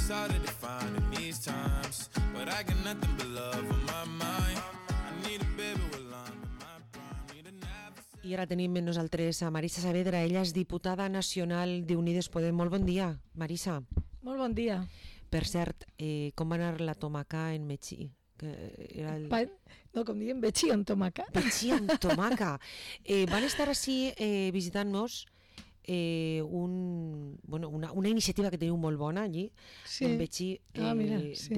it's hard to define in these times, but I got nothing but love on my mind. I need a baby with love in my prime. Need a never. I ara tenim amb nosaltres a Marisa Saavedra, ella és diputada nacional d'Unides Podem. Molt bon dia, Marisa. Molt bon dia. Per cert, com va anar la tomaca en Metxí? Que era el... No, com diem, Betxí amb tomaca. Betxí amb tomaca. Van estar així visitant-nos una iniciativa que teniu molt bona allí, sí. en Betxí, mira, sí.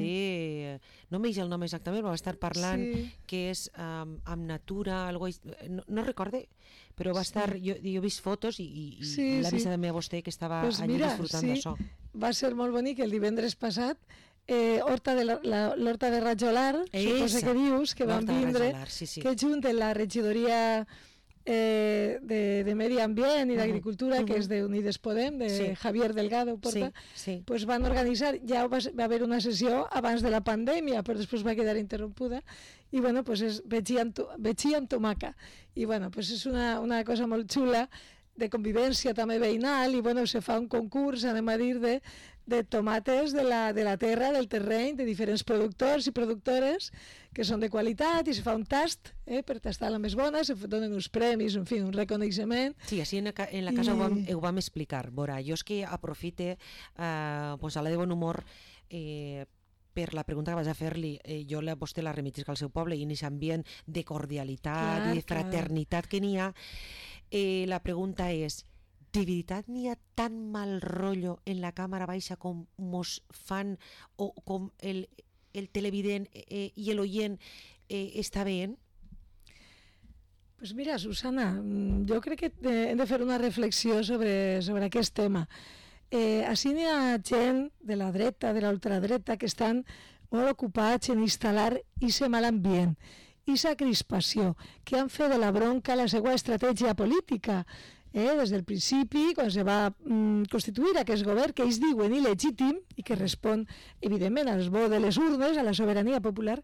no m'eix el nom exactament, va estar parlant que és amb natura, no recorde, però va estar, jo he vist fotos i l'ha vist també a vostè que estava allí disfrutant d'això. Va ser molt bonic el divendres passat. L'Horta de Rajolar, suposa que dius, que van vindre, que junten la regidoria de Medi Ambient i d'Agricultura, que és d'Unides Podem, de Javier Delgado Porta, pues van organitzar, ja va haver una sessió abans de la pandèmia, però després va quedar interrompuda, i bueno, pues és Betxí amb tomaca, i bueno, pues és una cosa molt xula, de convivència també veïnal, i bueno, se fa un concurs, anem a dir, de tomates de la terra, del terreny, de diferents productors i productores que són de qualitat, i se fa un tast per tastar la més bona, se donen uns premis, en fi, un reconeixement. Sí, així en la casa ho vam explicar. Veurà, jo és que aprofite a la de bon humor per la pregunta que vaig a fer-li, jo a vostè la remitisc al seu poble i en aquest ambient de cordialitat i de fraternitat que n'hi ha. La pregunta és, de veritat n'hi ha tan mal rotllo en la càmera baixa com mos fan o com el televident i l'oient està veient? Pues mira, Susana, jo crec que hem de fer una reflexió sobre aquest tema. Així n'hi ha gent de la dreta, de l'ultradreta, que estan molt ocupats en instal·lar aquest mal ambient, aquesta crispació, que han fet de la bronca la seva estratègia política. Des del principi, quan se va constituir aquest govern, que ells diuen il·legítim i que respon, evidentment, als vots de les urnes, a la sobirania popular,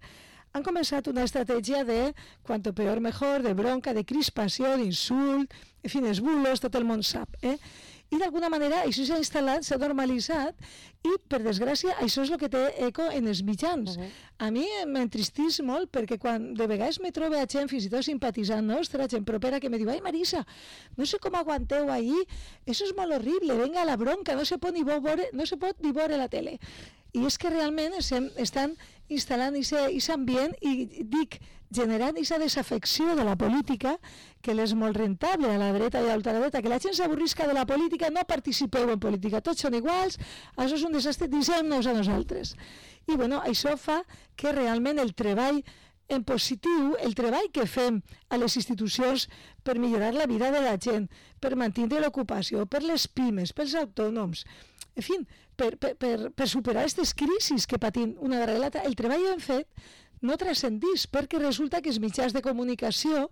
han començat una estratègia de cuanto peor mejor, de bronca, de crispació, d'insult, en fi, els bulos, tot el món sap. I d'alguna manera això s'ha instal·lat, s'ha normalitzat, i per desgràcia això és el que té eco en els mitjans. A mi m'entristís molt perquè quan de vegades me trobo a gent, fins i tot simpatitzant nostra, gent propera, que me diu, ai Marisa, no sé com aguanteu ahí, eso es molt horrible, venga la bronca, no se pot ni veure la tele. I és que realment estan instal·lant aquest ambient i dic, generant aquesta desafecció de la política que és molt rentable a la dreta i a l'ultradreta, que la gent s'avorrisca de la política, no participeu en política, tots són iguals, això és un desastre, deixem-nos a nosaltres. I bueno, això fa que realment el treball en positiu, el treball que fem a les institucions per millorar la vida de la gent, per mantenir l'ocupació, per les pimes, pels autònoms, en fi, per superar aquestes crisis que patim una darrere l'altra, el treball que hem fet no transcendís, perquè resulta que els mitjans de comunicació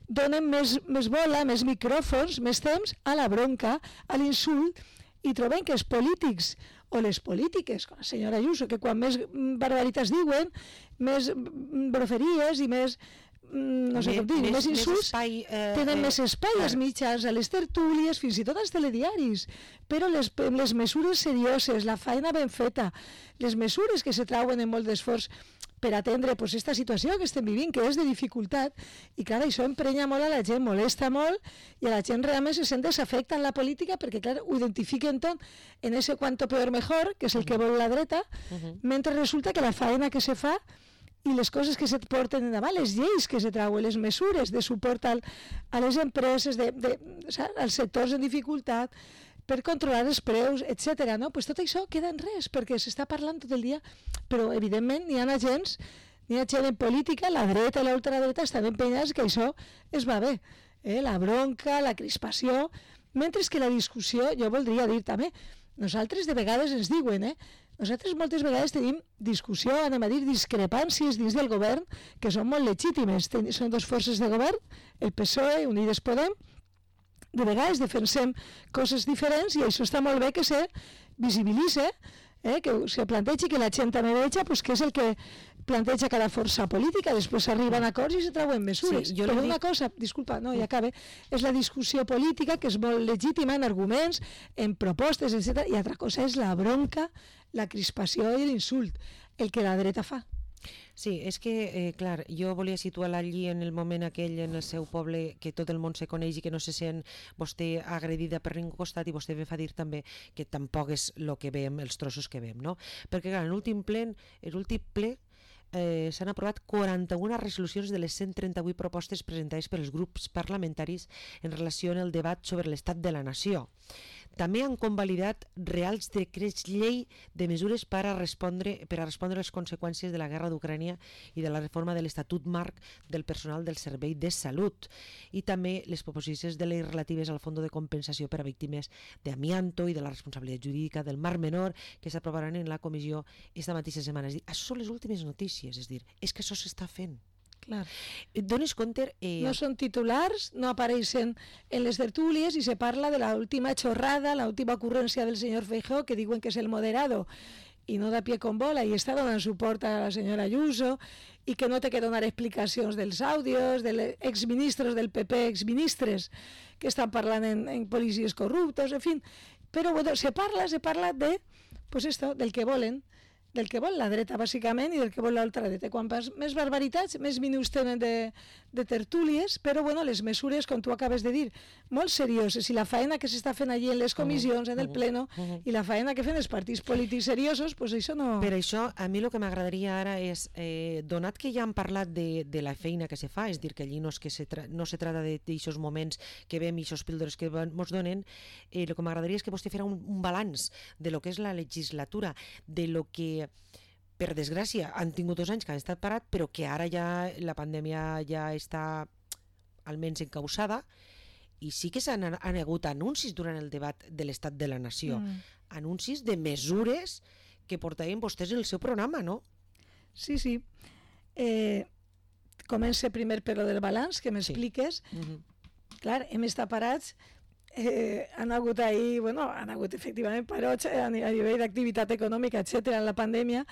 donen més bola, més micròfons, més temps a la bronca, a l'insult, i trobem que els polítics o les polítiques, com la senyora Ayuso, que quan més barbaritats diuen, més broferíes i més no sé com dir, més insults, tenen més espai als mitjans, a les tertúlies, fins i tot als telediaris, però les mesures serioses, la feina ben feta, les mesures que se trauen en molt d'esforç per atendre aquesta situació que estem vivint, que és de dificultat, i clar, això emprenya molt a la gent, molesta molt, i a la gent realment se sent desafecta en la política perquè, clar, ho identifiquen tot en ese cuanto peor mejor, que és el que vol la dreta, mentre resulta que la feina que se fa i les coses que se porten endavant, les lleis que se trauen, les mesures de suport a les empreses, als sectors en dificultat, per controlar els preus, etc. No? Pues tot això queda en res, perquè s'està parlant tot el dia, però evidentment n'hi ha gent en política, la dreta i l'ultradreta estan empenyats que això es va bé. La bronca, la crispació, mentre que la discussió, jo voldria dir també, nosaltres de vegades ens diuen, nosaltres moltes vegades tenim discussió, anem a dir, discrepàncies dins del govern, que són molt legítimes. Són dues forces de govern, el PSOE, Unides Podem, de vegades defensem coses diferents i això està molt bé que se visibilitza, que se plantegi que la gent també veja que és el que planteja cada força política, després s'arriben a acords i se treuen mesures. Sí, però una cosa, disculpa, no, ja acabe, és la discussió política, que és molt legítima en arguments, en propostes, etc. I altra cosa és la bronca, la crispació i l'insult, el que la dreta fa. Sí, és que, clar, jo volia situar-la allí en el moment aquell, en el seu poble, que tot el món se coneix i que no se sent vostè agredida per ningú costat, i vostè ve fa dir també que tampoc és el que veiem, els trossos que veiem, no? Perquè, clar, en l'últim ple s'han aprovat 41 resolucions de les 138 propostes presentades pels grups parlamentaris en relació amb el debat sobre l'estat de la nació. També han convalidat reals decrets llei de mesures per a respondre les conseqüències de la guerra d'Ucrània i de la reforma de l'Estatut Marc del personal del Servei de Salut, i també les proposicions de llei relatives al Fons de Compensació per a víctimes d'amianto i de la responsabilitat jurídica del Mar Menor, que s'aprovaran en la comissió esta mateixa setmana. És dir, això són les últimes notícies, és dir, és que això s'està fent. Clar. Dones compte... No són titulars, no apareixen en les tertúlies i se parla de l'última xorrada, l'última ocurrència del senyor Feijóo, que diuen que és el moderado i no da pie con bola, i està donant suport a la senyora Ayuso, i que no té que donar explicacions dels àudios, dels exministres del PP, exministres que estan parlant en policies corruptos, en fi. Però bueno, se parla de, pues esto, del que volen, del que vol la dreta, bàsicament, i del que vol l'altra dreta. Quan més barbaritats, més minuts tenen de tertúlies, però bueno, les mesures, com tu acabes de dir, molt serioses, i la faena que s'està fent allí en les comissions, en el pleno, i la faena que fan els partits polítics seriosos, pues això no... Per això, a mi el que m'agradaria ara és, donat que ja han parlat de la feina que se fa, és dir, que allí no se trata d'aixòs moments que veiem i aquests píldores que ens donen, el que m'agradaria és que vostè fera un balanç de lo que és la legislatura, de lo que per desgràcia han tingut 2 anys que han estat parat, però que ara ja la pandèmia ja està almenys encausada, i sí que s'han hagut anuncis durant el debat de l'estat de la nació, anuncis de mesures que portaven vostès en el seu programa, no? Sí, sí. Comença primer per lo del balanç, que m'expliques. Sí. Clar, hem estat parats, han hagut ahir, bueno, han hagut efectivament parots a nivell d'activitat econòmica, etcètera, en la pandèmia,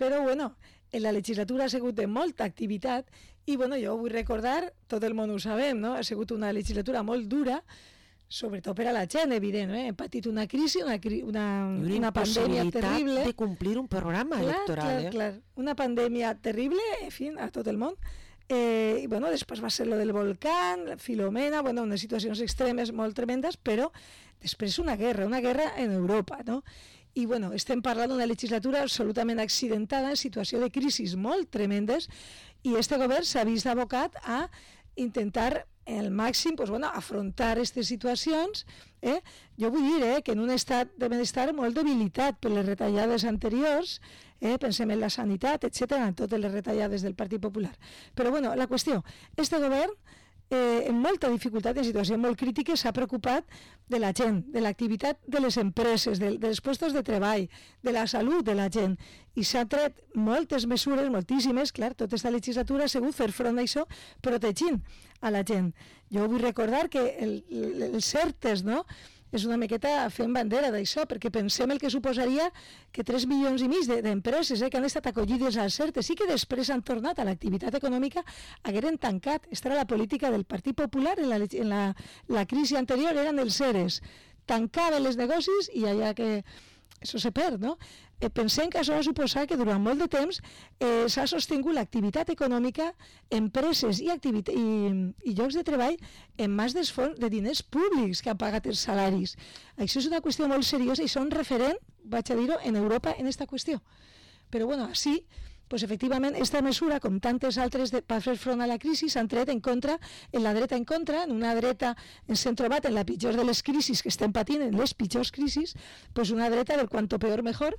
però bueno, en la legislatura ha sigut de molta activitat i bueno, jo vull recordar, tot el món ho sabem, no? Ha sigut una legislatura molt dura, sobretot per a la gent, evident, hem patit una crisi, una pandèmia terrible. De complir un programa electoral. Clar. Una pandèmia terrible, en fi, a tot el món. I bueno, després va ser lo del volcán, Filomena, bueno, unes situacions extremes molt tremendes, però després una guerra en Europa, no? I bueno, estem parlant d'una legislatura absolutament accidentada, en situació de crisis molt tremendes, i este govern s'ha vist abocat a intentar al màxim pues, bueno, afrontar aquestes situacions. Jo vull dir que en un estat de benestar molt debilitat per les retallades anteriors, pensem en la sanitat, etcètera, en totes les retallades del Partit Popular. Però bueno, la qüestió, este govern en molta dificultat, en situació molt crítica, s'ha preocupat de la gent, de l'activitat de les empreses, dels llocs de treball, de la salut de la gent, i s'ha tret moltes mesures, moltíssimes, clar, tota aquesta legislatura ha sigut fer front a això, protegint a la gent. Jo vull recordar que els CERTES, no?, és una miqueta fent bandera d'això, perquè pensem el que suposaria que 3,5 milions d'empreses que han estat acollides als CERTES i que després han tornat a l'activitat econòmica hagueren tancat. Aquesta era la política del Partit Popular en la crisi anterior, eren els ERES. Tancaven els negocis i allà que això se perd, no? Pensem que això va suposar que durant molt de temps s'ha sostingut l'activitat econòmica, empreses i llocs de treball en mans dels fons de diners públics que han pagat els salaris. Això és una qüestió molt seriosa i són referent, vaig a dir-ho, en Europa en aquesta qüestió. Però bueno, així, pues efectivament, aquesta mesura, com tantes altres per fer front a la crisi, s'han tret en contra, en la dreta en contra, en una dreta ens hem trobat en la pitjor de les crisis que estem patint, en les pitjors crisis, pues una dreta del cuanto peor mejor,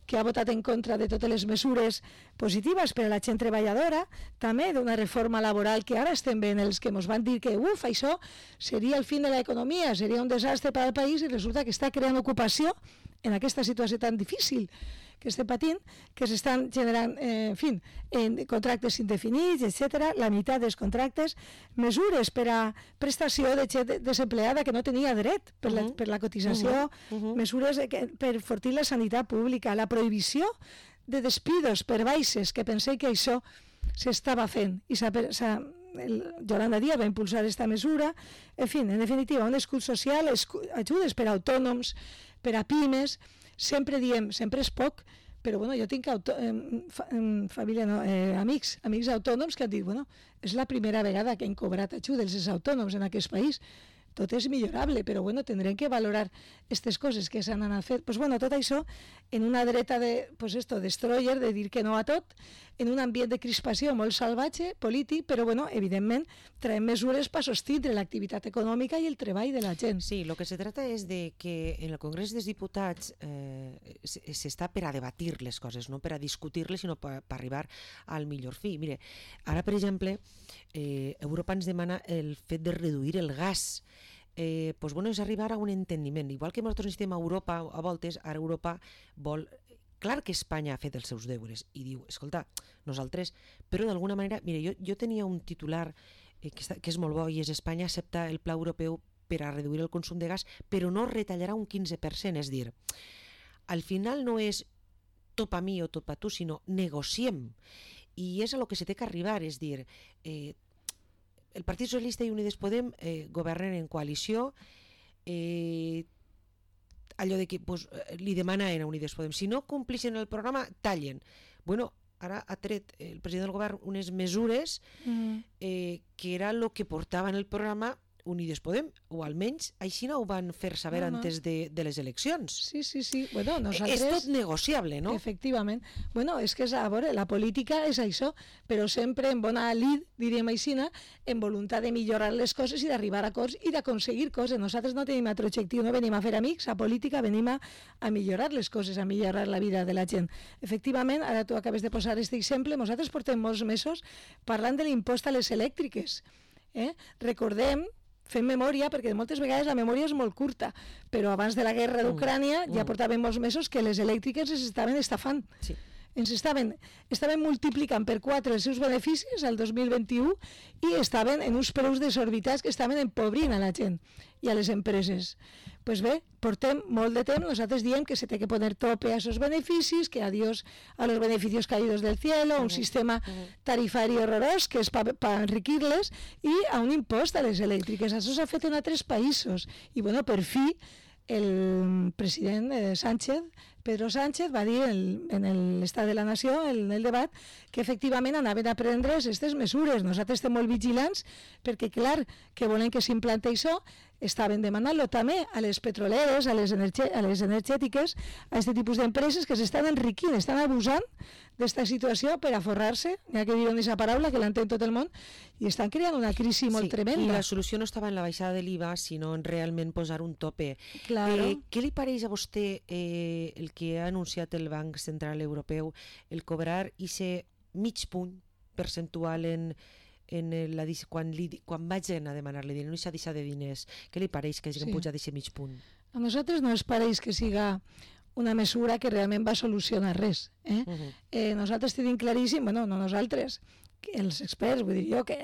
que ha votat en contra de totes les mesures positives per a la gent treballadora, també d'una reforma laboral que ara estem veient els que ens van dir que això seria el fin de l'economia, seria un desastre per al país, i resulta que està creant ocupació en aquesta situació tan difícil que estem patint, que s'estan generant, en contractes indefinits, etc., la meitat dels contractes, mesures per a prestació de gent desempleada que no tenia dret per la cotització, mesures per enfortir la sanitat pública, la prohibició de despidos per baixes, que pensé que això s'estava fent. I Yolanda Díaz va impulsar aquesta mesura. En fi, en definitiva, un escut social, ajudes per a autònoms, per a pimes. Sempre diem, sempre és poc, però bueno, jo tinc família, no, amics autònoms que han dit, bueno, és la primera vegada que hem cobrat ajudes els autònoms en aquest país. Tot és millorable, però bueno, tindrem que valorar aquestes coses que s'han anat fent. Pues bueno, tot això en una dreta de, pues esto, destroyer, de dir que no a tot, en un ambient de crispació molt salvatge, polític, però bueno, evidentment traiem mesures per sostindre l'activitat econòmica i el treball de la gent. Sí, lo que se trata és de que en el Congrés dels Diputats s'està per a debatir les coses, no per a discutir-les, sinó per arribar al millor fi. Mire, ara, per exemple, Europa ens demana el fet de reduir el gas. Pues bueno, és arribar a un entendiment. Igual que nosaltres necessitem a Europa a voltes, ara Europa vol... Clar que Espanya ha fet els seus deures i diu, escolta, nosaltres... Però d'alguna manera, mire, jo tenia un titular que és molt bo i és Espanya accepta el pla europeu per a reduir el consum de gas, però no retallarà un 15%, és dir, al final no és tot per mi o tot per tu, sinó negociem. I és a lo que se té que arribar, és dir, el Partit Socialista i Unides Podem governen en coalició, allò de que pues, li demanen a Unides Podem, si no complixen el programa, tallen. Bueno, ara ha tret el president del govern unes mesures que era el que portava en el programa Unides Podem, o almenys així no ho van fer saber antes de les eleccions. Sí. Bueno, nosaltres... És tot negociable, no? Efectivament. Bueno, és que a veure, la política és això, però sempre en bona lid, diríem així, en voluntat de millorar les coses i d'arribar a acords i d'aconseguir coses. Nosaltres no tenim altre objectiu, no venim a fer amics, a política venim a millorar les coses, a millorar la vida de la gent. Efectivament, ara tu acabes de posar aquest exemple, nosaltres portem molts mesos parlant de l'impost a les elèctriques. Recordem, fem memòria, perquè moltes vegades la memòria és molt curta, però abans de la guerra d'Ucrània ja portàvem molts mesos que les elèctriques es estaven estafant. Sí. Ens estaven multiplicant per 4 els seus beneficis al 2021 i estaven en uns preus desorbitats que estaven empobrint a la gent i a les empreses. Pues bé, portem molt de temps, nosaltres diem que se té que poner tope a esos beneficis, que adiós a los beneficios caídos del cielo, un sistema tarifari horrorós que és per enriquir-les i a un impost a les elèctriques. Això s'ha fet en altres països. I bueno, per fi, el president Sánchez, Pedro Sánchez, va dir en l'Estat de la Nació, en el debat, que efectivament anaven a prendre aquestes mesures. Nosaltres estem molt vigilants perquè, clar, que volen que s'implante això, estaven demanant-lo també a les petroleres, a les energètiques, a aquest tipus d'empreses que s'estan enriquint, estan abusant d'esta situació per a forrar-se, ja que diuen aquesta paraula, que l'entén tot el món, i estan creant una crisi molt tremenda. I la solució no estava en la baixada de l'IVA, sinó en realment posar un tope. Claro. Què li pareix a vostè el que ha anunciat el Banc Central Europeu, el cobrar aquest mig punt percentual quan vagin a demanar-li diners, no s'ha deixat de diners? Què li pareix que hagin pujat d'aquest mig punt? A nosaltres no ens pareix que siga una mesura que realment va solucionar res. Nosaltres tenim claríssim, bueno, no nosaltres, els experts, vull dir jo, que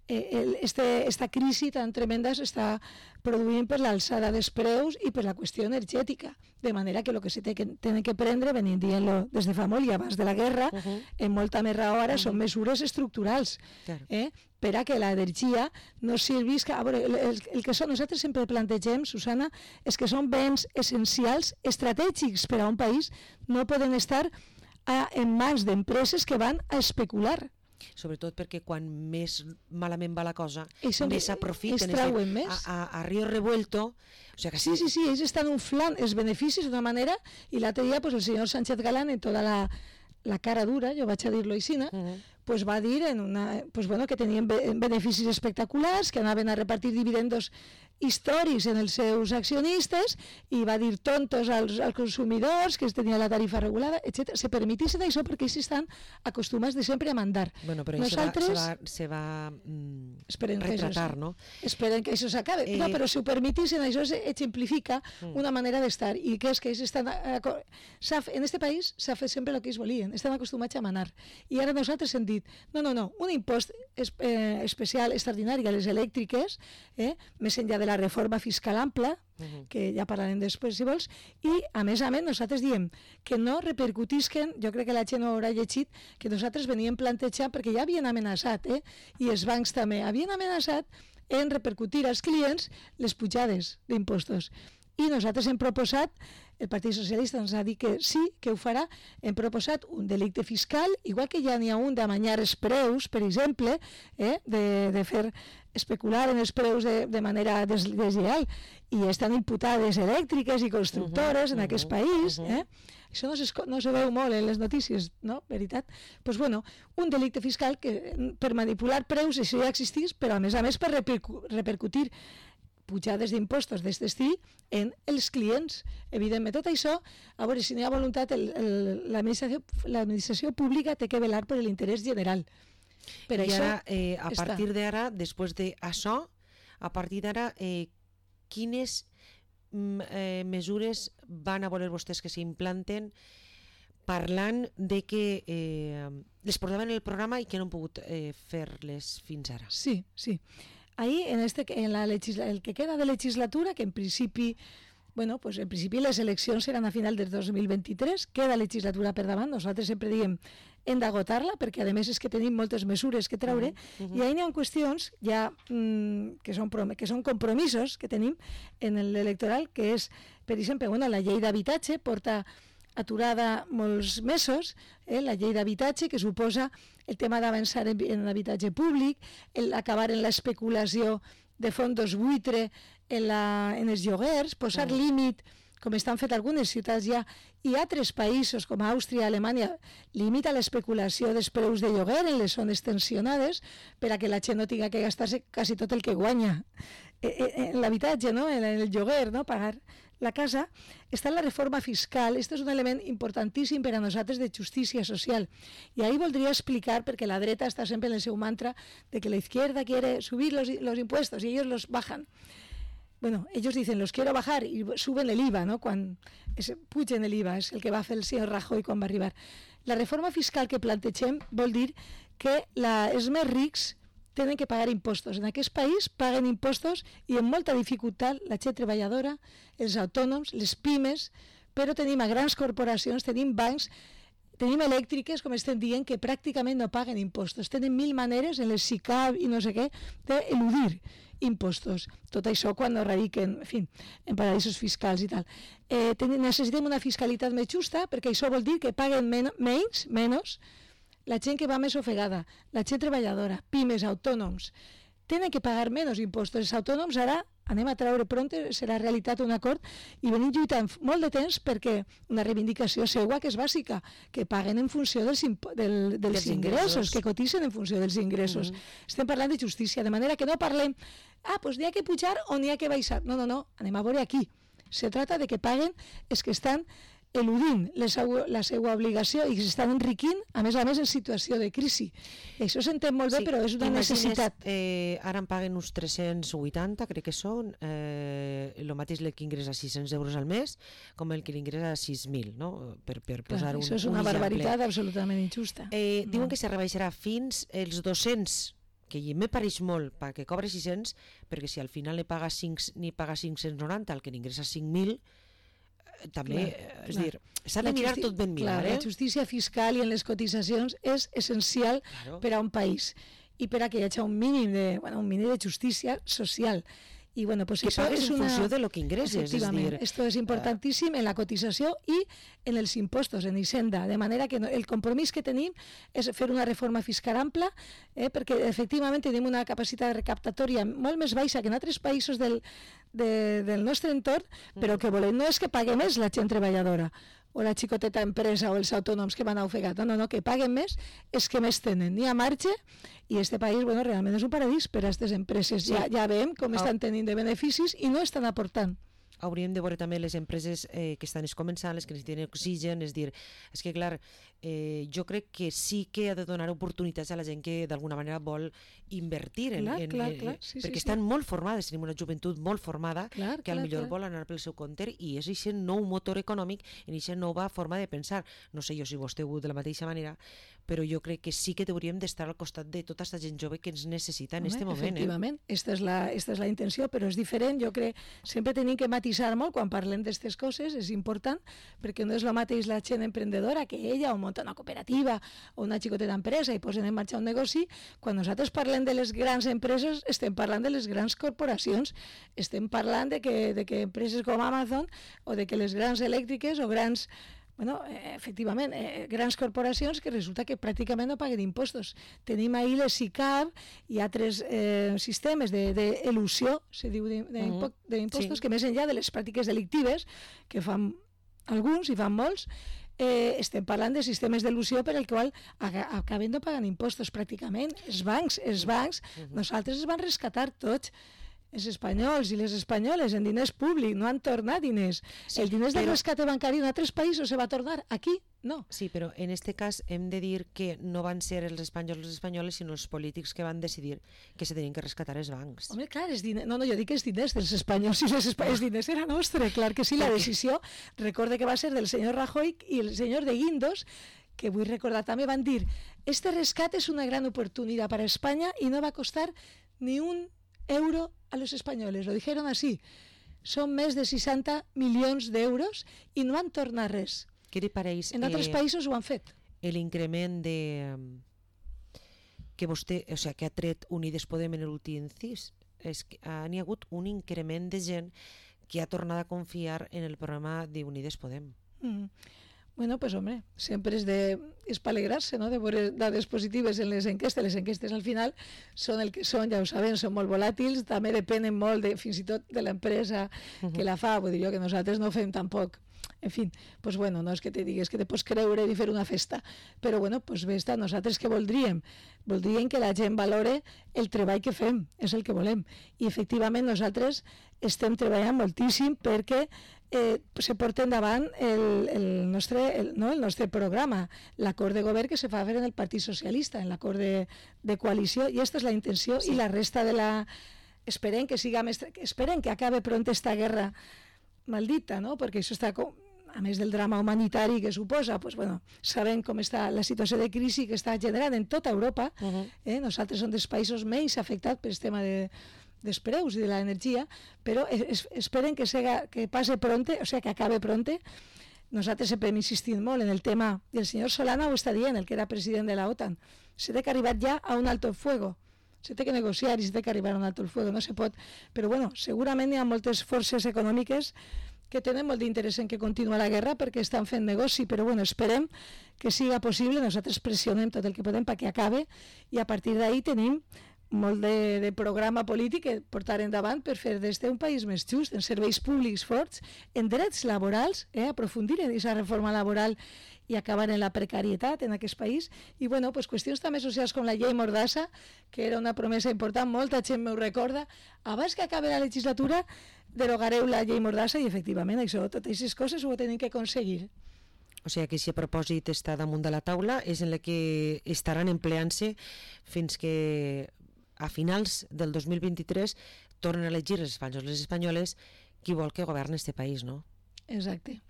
esta crisi tan tremenda s'està produint per l'alçada dels preus i per la qüestió energètica, de manera que el que se tenen que prendre, venim dient-lo des de fa molt i abans de la guerra, en molta més raó ara, són mesures estructurals, per a que l'energia no servisca... A veure, el que nosaltres sempre plantegem, Susana, és que són béns essencials, estratègics per a un país, no poden estar en mans d'empreses que van a especular. Sobretot perquè quan més malament va la cosa, més aprofiten. A Río Revuelto... O sea que sí, ells estan inflant els beneficis d'una manera, i l'altre dia el senyor Sánchez Galán, en tota la cara dura, jo vaig a dir-lo així, pues va dir que tenien beneficis espectaculars, que anaven a repartir dividendos històrics en els seus accionistes, i va dir tontos als consumidors, que es tenia la tarifa regulada, etc. Se permetissin això perquè ells estan acostumats de sempre a mandar. Bueno, però se va retratar, no? Esperen que això s'acabe. No, però si ho permetissin, això exemplifica una manera d'estar, i que és que ells estan... En este país s'ha fet sempre el que ells volien, estan acostumats a manar. I ara nosaltres hem dit, no, un impost especial, extraordinari a les elèctriques, més enllà de de la reforma fiscal ampla, que ja parlarem després si vols, i a més nosaltres diem que no repercutisquen, jo crec que la gent ho haurà llegit, que nosaltres veníem plantejant, perquè ja havien amenaçat, i els bancs també, havien amenaçat en repercutir als clients les pujades d'impostos. I nosaltres hem proposat, el Partit Socialista ens ha dit que sí, que ho farà, hem proposat un delicte fiscal, igual que ja n'hi ha un d'amanyar els preus, per exemple, de fer especular en els preus de manera deslleial, i estan imputades elèctriques i constructores en aquest país, Això no se veu molt en les notícies, no? Veritat? Doncs bueno, un delicte fiscal que per manipular preus, això ja existís, però a més per repercutir pujades d'impostos d'aquest estil en els clients. Evidentment, tot això, a veure, si no hi ha voluntat, l'administració pública té que velar per l'interès general. Per I això ara, a partir d'ara, després d'això, a partir d'ara, quines mesures van a voler vostès que s'implanten parlant de que les portaven en el programa i que no han pogut fer-les fins ara? Sí. Ahí, en el que queda de legislatura, que en principi, en principi les eleccions seran a final del 2023, queda legislatura per davant, nosaltres sempre diem hem d'agotar-la, perquè a més és que tenim moltes mesures que treure, i ahí n'hi ha qüestions ja que són compromisos que tenim en l'electoral, que és, per exemple, la llei d'habitatge porta aturada molts mesos, la llei d'habitatge, que suposa el tema d'avançar en l'habitatge públic, acabar en l'especulació de fondos buitre en els lloguers, posar límit, com estan fet algunes ciutats ja, i altres països com Àustria, Alemanya, limita l'especulació dels preus de lloguer en les zones tensionades per a que la gent no tinga que gastar-se quasi tot el que guanya en l'habitatge, no? En el lloguer, no? Pagar la casa. Està la reforma fiscal. Este és un element importantíssim per a nosaltres de justícia social. I ahí voldria explicar, perquè la dreta està sempre en el seu mantra de que la izquierda quiere subir los impuestos y ellos los bajan. Bueno, ellos dicen, los quiero bajar, y suben el IVA, ¿no? Quan pugen el IVA, és el que va fer el senyor Rajoy quan va arribar. La reforma fiscal que plantegem vol dir que els més rics tenen que pagar impostos. En aquest país paguen impostos i amb molta dificultat la gent treballadora, els autònoms, les pimes, però tenim a grans corporacions, tenim bancs, tenim elèctriques, com estem dient, que pràcticament no paguen impostos. Tenen 1000 maneres en les SICAV i no sé què d'eludir impostos. Tot això quan no radiquen, en fi, en paradisos fiscals i tal. Necessitem una fiscalitat més justa, perquè això vol dir que paguen menys la gent que va més ofegada, la gent treballadora, pimes, autònoms. Tenen que pagar menys impostos. Els autònoms ara anem a treure pront, serà realitat un acord, i venim lluitant molt de temps perquè una reivindicació seua que és bàsica, que paguen en funció dels ingressos, que cotitzen en funció dels ingressos. Estem parlant de justícia, de manera que no parlem doncs n'hi ha que pujar o n'hi ha que baixar. No, anem a veure aquí. Se trata de que paguen els que estan eludint la seva obligació i s'estan enriquint, a més en situació de crisi. I això s'entén molt bé, però és una necessitat. Ara en paguen uns 380, crec que són, el mateix que ingressa 600 euros al mes, com el que l'ingressa 6.000, no? Per posar un exemple. Això és una barbaritat absolutament injusta. Diuen que se rebaixarà fins els 200, que me pareix molt perquè cobre 600, perquè si al final ni paga 590 el que n'ingressa 5.000, també, és dir, s'ha de mirar tot ben mirar. La justícia fiscal i en les cotitzacions és essencial per a un país i per a que hi hagi un mínim de justícia social. I pues que pagues en funció de lo que ingresses. Efectivament, esto és importantíssim en la cotització i en els impostos, en Hisenda, de manera que el compromís que tenim és fer una reforma fiscal ampla, perquè efectivament tenim una capacitat recaptatòria molt més baixa que en altres països del nostre entorn, però que volem no és que pague més la gent treballadora o la xicoteta empresa o els autònoms que van ofegat, no, que paguen més és que més tenen, n'hi ha marge, i este país realment és un paradís per a aquestes empreses. Ja veiem com estan tenint de beneficis i no estan aportant. Hauríem de veure també les empreses que estan començant, les que necessiten oxigen, és dir, és que clar, jo crec que sí que ha de donar oportunitats a la gent que d'alguna manera vol invertir, perquè estan molt formades, tenim una joventut molt formada, que potser vol anar pel seu compte, i és aquest nou motor econòmic, i aquesta nova forma de pensar. No sé jo si vostè ho veu de la mateixa manera, però jo crec que sí que hauríem d'estar al costat de tota aquesta gent jove que ens necessita en aquest moment. Efectivament, esta és la intenció, però és diferent. Jo crec sempre tenim que matisar molt quan parlem d'aquestes coses, és important, perquè no és el mateix la gent emprendedora que ella o munta una cooperativa o una xicoteta empresa i posen en marxa un negoci. Quan nosaltres parlem de les grans empreses, estem parlant de les grans corporacions, estem parlant de que empreses com Amazon o de que les grans elèctriques o grans... Bueno, efectivament, grans corporacions que resulta que pràcticament no paguen impostos. Tenim ahí les SICAV i altres sistemes d'elusió, se diu, d'impostos, que més enllà de les pràctiques delictives, que fan alguns i fan molts, estem parlant de sistemes d'elusió per al qual acaben no pagant impostos pràcticament. Els bancs, nosaltres es van rescatar tots, els espanyols i les espanyoles en diners públics, no han tornat diners. Sí, el diners del rescate bancari en altres països se va tornar, aquí no. Sí, però en aquest cas hem de dir que no van ser els espanyols i les espanyoles, sinó els polítics que van decidir que se tenien que rescatar els bancs. Home, clar, jo dic que els diners dels espanyols i les espanyoles, els diners era nostre, clar que sí, la decisió, recorde que va ser del senyor Rajoy i el senyor de Guindos, que vull recordar també, van dir, este rescate es una gran oportunidad para España y no va a costar ni un euro a los españoles, lo dijeron así. Son més de 60 milions d'euros i no han tornat res. Què li pareix? En altres països ho han fet. L'increment que vostè, o sigui, que ha tret Unides Podem en l'últim incís, és que n'hi ha hagut un increment de gent que ha tornat a confiar en el programa d'Unides Podem. Bueno, pues hombre, sempre és per alegrar-se, no?, de veure dades positives en les enquestes. Les enquestes al final són el que són, ja ho sabem, són molt volàtils, també depenen molt fins i tot de l'empresa que la fa, vull dir jo que nosaltres no fem tampoc. En fi, pues bueno, no és que te digues que te pots creure i fer una festa, però bueno, pues bé està, nosaltres què voldríem? Voldríem que la gent valore el treball que fem, és el que volem. I efectivament nosaltres estem treballant moltíssim perquè se porta endavant el nostre programa, l'acord de govern que se fa fer en el Partit Socialista, en l'acord de coalició, i aquesta és la intenció, sí. I la resta de la... Esperem que acabe pront esta guerra maldita, no? Perquè això està, a més del drama humanitari que suposa, pues bueno, sabem com està la situació de crisi que està generant en tota Europa. Nosaltres som dels països menys afectats per el tema dels preus i de l'energia, però esperen que passe pronte, o sigui, que acabe pronte. Nosaltres sempre hem insistit molt en el tema, i el senyor Solana ho està dient, el que era president de la OTAN, se té que arribar ja a un alto el fuego, se té que negociar i se té que arribar a un alto el fuego, no se pot, però bueno, segurament hi ha moltes forces econòmiques que tenen molt d'interès en que continua la guerra perquè estan fent negoci, però bueno, esperem que siga possible, nosaltres pressionem tot el que podem perquè acabe i a partir d'ahí tenim molt de programa polític que portar endavant per fer d'este un país més just, en serveis públics forts, en drets laborals, aprofundir en aquesta reforma laboral i acabar en la precarietat en aquest país, i bueno, pues qüestions també socials com la llei Mordassa, que era una promesa important, molta gent m'ho recorda, abans que acabi la legislatura derogareu la llei Mordassa i efectivament això, totes aquestes coses ho tenim que aconseguir. O sigui que si a propòsit està damunt de la taula és en la que estaran empleant-se fins que a finals del 2023 tornen a elegir els espanyols i les espanyoles qui vol que governi este país, no? Exacte.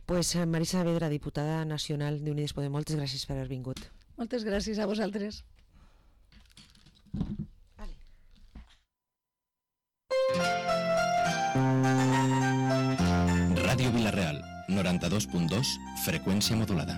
Pues Marisa Saavedra, diputada nacional d'Unides Podem, moltes gràcies per haver vingut. Moltes gràcies a vosaltres. Vale. Ràdio Vila-real, 92.2, freqüència modulada.